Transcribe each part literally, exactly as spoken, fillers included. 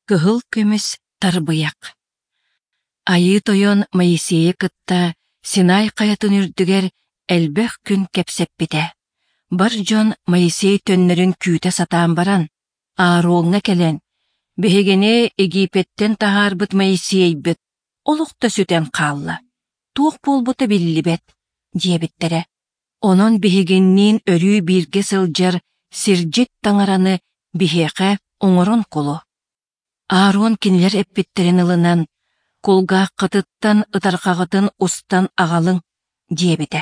Кыһыл көмүс тарбыйах Айыы Тойон Моисейы кытта Синай хайатын үрдүгэр элбэх күн кэпсэппитэ. Бар дьон Моисей төннөрүн күүтэ сатаан баран, Аароҥҥа кэлэн, «Биһигини Египеттэн таһаарбыт Моисейбыт олох да сүтэн хаалла, туох буолбута биллибэт» диэбиттэрэ. Онон биһигинниин өрүү бииргэ сылдьар сирдьит таҥараны биһиэхэ оҥорон кулу. Аарон кинилэр эппиттэрин ылынан, «Кулгааххытыттан ытарҕаҕытын устан аҕалыҥ» диэбитэ.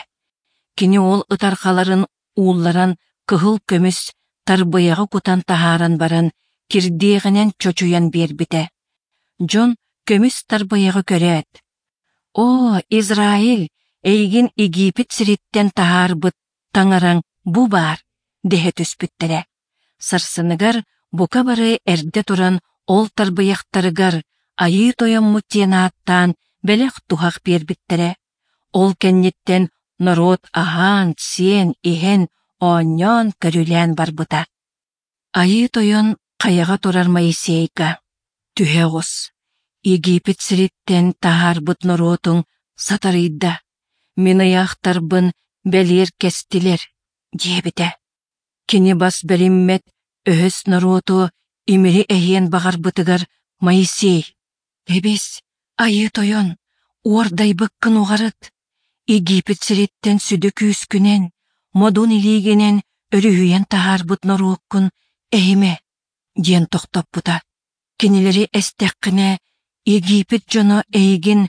Кини ол ытарҕаларын уулларан кыһыл көмүс тарбыйаҕы кутан таһааран баран, кирдиэҕинэн чочуйан биэрбитэ. Дьон көмүс тарбыйаҕы көрөөт, «Оо, Израиль, эйигин Египет сириттэн таһаарбыт таҥараҥ бу баар!» дэһэ түспүттэрэ. Сарсыныгар бука бары эрдэ туран ол тарбыйахтарыгар Айыы Тойоммут диэн ааттаан бэлэх-туһах биэрбиттэрэ. Ол кэнниттэн норуот аһаан-сиэн, иһэн, оонньоон-көрүлээн барбыта. Айыы Тойон хайаҕа турар Моисейга: «Түһэ оҕус, Египет сириттэн таһаарбыт норуотуҥ сатарыйда, мин ыйаахтарбын бэлиэр кэстилэр», диэбитэ. Кини бас бэриммэт өһөс норуоту имири эһиэн баҕарбытыгар Моисей: «Эбис, Айыы Тойон, уордайбыккын уҕарыт, Египет сириттэн сүдү күүскүнэн, модун илиигинэн өрүһүйэн таһаарбыт норуоккун эһимэ», диэн тохтоппута. Кинилэри эстэххинэ, Египет дьоно эйигин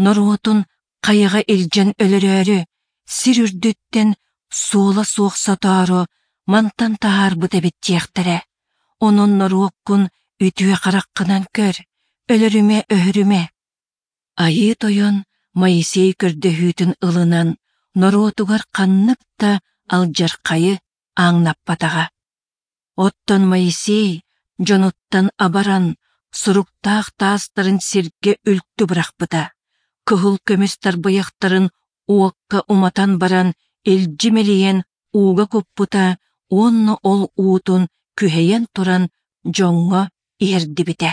норуотун хайаҕа илдьэн өлөрөөрү, сир үрдүттэн суола суох сотоору мантан таһаарбыт эбит диэхтэрэ. Онон норуоккун үтүө хараххынан көр, өлөрүмэ-өһөрүмэ. Айыы Тойон Моисей көрдөһүүтүн ылынан, норуотугар ханнык да алдьархайы ааҥнаппатаҕа. Оттон Моисей дьонуттан абаран, суруктаах таастарын сиргэ үлтү бырахпыта, кыһыл көмүс тарбыйахтарын уокка уматан баран илдьи мэлийэн ууга куппута уонна ол уутун күһэйэн туран дьоҥҥо иһэрдибитэ.